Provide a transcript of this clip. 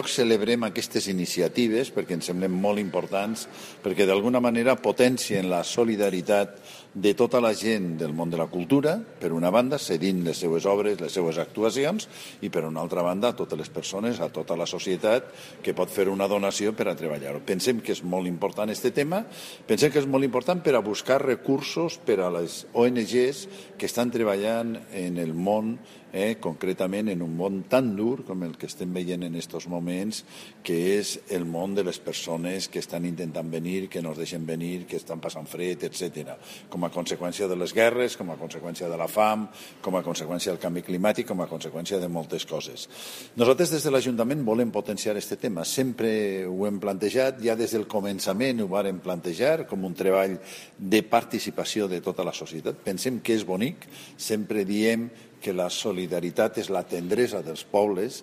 Celebrem aquestes iniciatives perquè ens semblen molt importants, perquè d'alguna manera potencien la solidaritat de tota la gent del món de la cultura, per una banda, cedint les seues obres, les seues actuacions, i per una altra banda, a totes les persones, a tota la societat, que pot fer una donació per a treballar-ho. Pensem que és molt important aquest tema, pensem que és molt important per a buscar recursos per a les ONGs que estan treballant en el món, concretament en un món tan dur com el que estem veient en aquests moments, que és el món de les persones que estan intentant venir, que no es deixen venir, que estan passant fred, etc. Com a conseqüència de les guerres, com a conseqüència de la fam, com a conseqüència del canvi climàtic, com a conseqüència de moltes coses. Nosaltres des de l'Ajuntament volem potenciar aquest tema. Sempre ho hem plantejat, ja des del començament ho vàrem plantejar com un treball de participació de tota la societat. Pensem que és bonic, sempre diem que la solidaritat és la tendresa dels pobles